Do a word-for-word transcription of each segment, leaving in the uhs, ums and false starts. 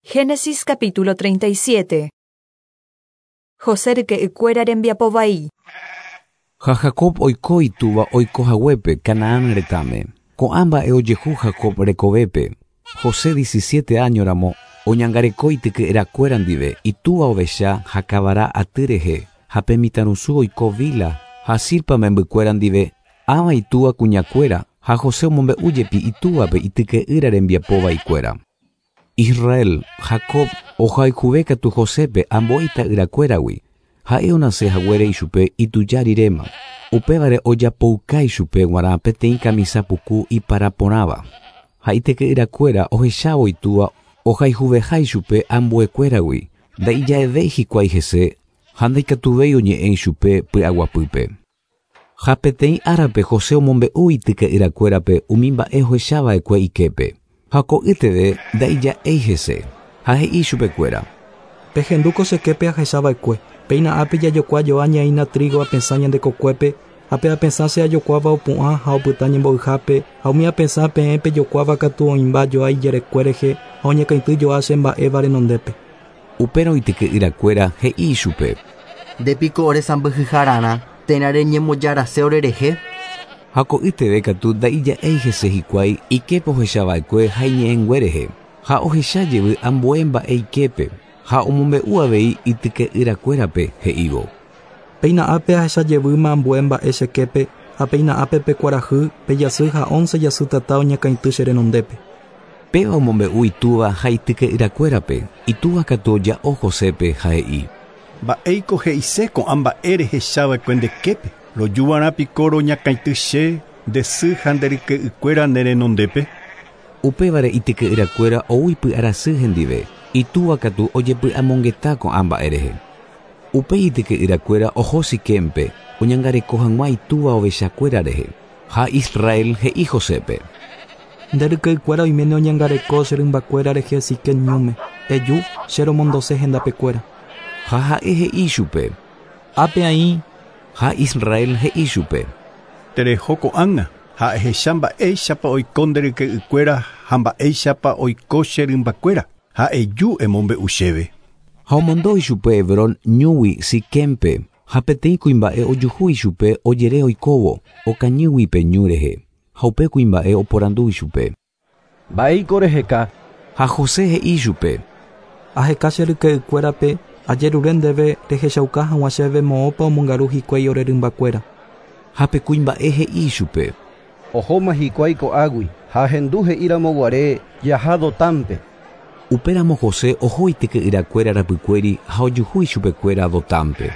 Génesis capítulo treinta y siete. José ryke'ykuéra rembiapo vai. Ha Jacob oiko itúva oiko haguépe Canaán retãme. Ko'ã mba'e ojehu Jacob rekovépe. José diecisiete año ramo oñangareko ityke'yrakuéra ndive itúva ovecha ha kavara aty rehe ha pe mitãrusu oiko Bila ha Zilpa membykuéra ndive ãva itúva kuñakuéra ha José omombe'újepi itúvape ityke'ýra rembiapo vaikuéra. Israel, Jacob ohayhuve katu Josépe ambue ita'yrakuéragui. Ha'e onase haguére ichupe ituja riréma. Upévare ojapouka ichupe g̃uarã peteĩ kamisa puku iparaporãva. Ha ityke'yrakuéra ohechávo itúva ohayhuveha ichupe ambuekuéragui. Ndaija'evéi hikuái hese ha ndaikatuvéi oñe'ẽ ichupe py'aguapýpe. Ha peteĩ árape José omombe'u ityke'yrakuérape umi mba'e ohechava'ekue iképe. Ha ko'ýteve ndaija'éi hese ha he'i chupekuéra. Pehendúko cheképe ahechava'ekue. Péina ápe jajokua joa ñaína trigo apesã ñande kokuépe ha pe apesã che ajokuáva opu'ã ha opyta ñembo'yhápe ha umi apesã peẽ pejokuáva katu oĩmba joa ijerekue rehe ha oñekãity joa che mba'éva renondépe. Upérõ ityke'yrakuéra he'i ichupe. Ndépiko ore sãmbyhyhararã térã reñemojarase orerehe. Ha ko'ýteve katu ndaija'éi hese hikuái iképe ohechava'ekue ha iñe'ẽngue rehe. Ha ohecha jevy ambue mba'e iképe ha omombe'u avei ityke'yrakuérape he'ívo. Péina ápe ahecha jevýma ambue mba'e cheképe ha péina ápe pe kuarahy pe jasy ha once jasy tata oñakãity che renondépe. Péva omombe'u itúva ha ityke'yrakuérape. Itúva katu oja'o Josépe ha he'i. Mba'éiko he'ise ko'ã mba'e rehechava'ekue ndeképe. Rojuvarã piko roñakãity che nde sy ha nde ryke'ykuéra ne renondépe. Upévare ityke'yrakuéra ou ipy'arasy hendive. Itúva katu ojepy'amongeta ko'ã mba'e rehe. Upéi ityke'yrakuéra oho Siquémpe oñangareko hag̃ua itúva ovechakuéra rehe. Ha Israel he'i Josépe. Nde ryke'ykuéra oiméne oñangareko che rymbakuéra rehe Siquem ñúme. Eju che romondose hendapekuéra. Ha ha'e he'i chupe. Ápe aĩ. Ha Israel he'i chupe. Tereho ko'ág̃a ha ehecha mba'éichapa oiko nde ryke'ykuéra ha mba'éichapa oiko che rymbakuéra ha eju emombe'u chéve. Ha omondo ichupe Hebrón ñúgui Siquémpe ha peteĩ kuimba'e ojuhu ichupe ojere oikóvo okañýgui pe ñu rehe. Ha upe kuimba'e oporandu ichupe. Mba'éiko reheka. Ha José he'i chupe. Aheka che ryke'ykuérape ajerure ndéve rehechauka hag̃ua chéve moõpa omongaru hikuái ore rymbakuéra. Ha pe kuimba'e he'i chupe. Ohóma hikuái ko'águi ha ahendu he'íramo guare jaha Dotánpe. Upéramo José oho ityke'yrakuéra rapykuéri ha ojuhu ichupekuéra Dotánpe.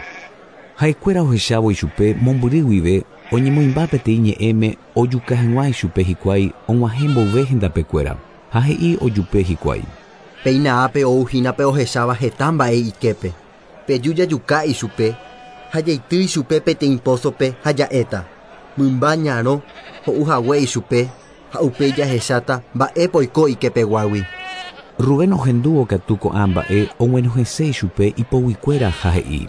Ha'ekuéra ohechávo ichupe mombyry guive oñemoĩmba peteĩ ñe'ẽme ojuka hag̃ua ichupe hikuái og̃uahẽ mboyve hendapekuéra ha he'i ojupe hikuái. Péina ápe ouhína pe ohecháva heta mba'e iképe. Peju jajuka ichupe ha jaity ichupe peteĩ pósope ha ja'éta. Mymba ñarõ ho'u hague ichupe ha upéi jahecháta mba'épa oiko ikepeguágui. Rubén ohendúvo katu ko'ã mba'e og̃uenohẽse ichupe ipoguikuéra ha he'i.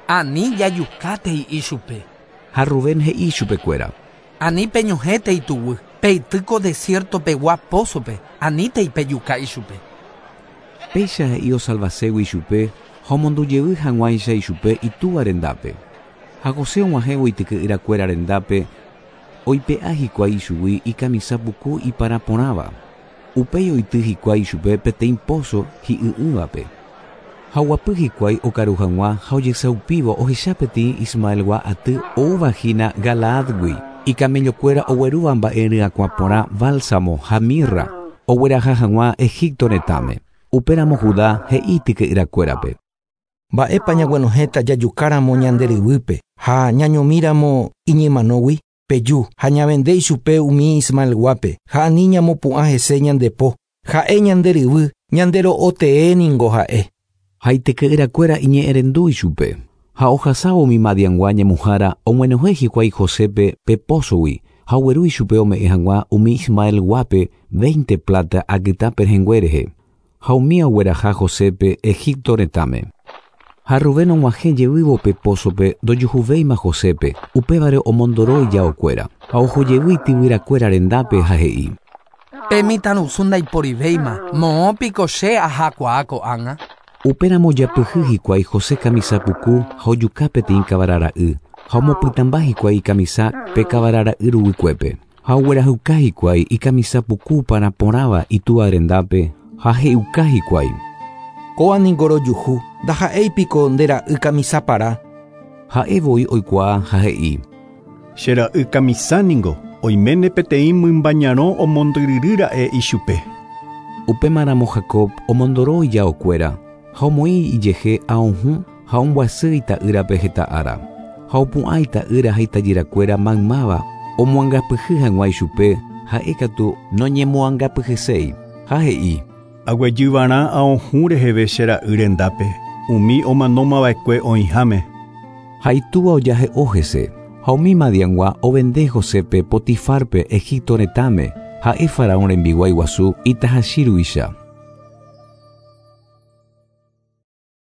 Ani jajukátei ichupe. Ha Rubén he'i ichupekuéra. Ani peñohẽtei tuguy. Peitýko desierto-pegua pósope. Anítei pejuka ichupe. Péicha he'i osalvaségui ichupe ha omondujevy hag̃uáicha ichupe itúva rendápe. Ha José og̃uahẽvo ityke'yrakuéra rendápe oipe'a hikuái ichugui ikamisa puku iparaporãva. Upéi oity hikuái ichupe peteĩ póso hi'y'ỹvape. Ha oguapy hikuái okaru hag̃ua ha ojesaupívo ohecha peteĩ Ismaelgua aty oúvahína Galaadgui. Ikamellokuéra oguerúva mba'e ryakuã porã bálsamo ha mirra ogueraha hag̃ua Egipto retãme. Upéramo Judá he'i ityke'yrakuérape. Mba'épa ñaguenohẽta jajukáramo ñande ryvýpe ha ñañomíramo iñemanógui peju ha ñavende ichupe umi Ismaelguápe ha ani ñamopu'ã hese ñandepo ha'e ñande ryvy ñande ro'otee ningo ha'e. Ha ityke'yrakuéra iñe'ẽrendu ichupe. Ha ohasávo umi Madiangua ñemuhára og̃uenohẽ hikuái Josépe pe pósogui ha ogueru ichupe ome'ẽ hag̃ua umi Ismaelguápe veinte plata akytã pehẽngue rehe. Ha umi ogueraha Josépe Egipto retãme. Ha Rubén og̃uahẽ jevývo pe pósope ndojuhuvéima Josépe, upévare omondoro ijaokuéra. Ha ohojevy ityvyrakuéra rendápe ha he'i. Pe mitãrusu ndaiporivéima moõ piko che ahakuaa ko'ág̃a. Upéramo japyhy hikuái José kamisa puku ha ojuka peteĩ kavarara'y ha omopytãmba hikuái ikamisa pe kavarara'y ruguykuépe. Ha oguerahuka hikuái ikamisa puku paraporãva itúva rendápe ha he'uka hikuái. Kóa niko rojuhu ndaha'éipiko nde ra'y kamisa para. Ha'e voi oikuaa ha he'i. Che ra'y kamisa ningo oiméne peteĩ mymba ñarõ omondyryrýra'e ichupe. Upémaramo Jacob omondoro ijaokuéra ha omoĩ ijehe aohũ ha omboasy ita'ýrape heta ára. Ha opu'ã ita'ýra ha itajyrakuéra maymáva omoangapyhy hag̃ua ichupe ha'e katu noñemoangapyhyséi ha he'i. Aguejyvarã aohũ reheve che ra'y rendápe umi omanómava'ekue oĩháme. Ha itúva ojahe'o hese ha umi Madiangua ovende Josépe Potifarpe Egipto retãme ha'e faraón rembiguái guasu itahachi ruicha.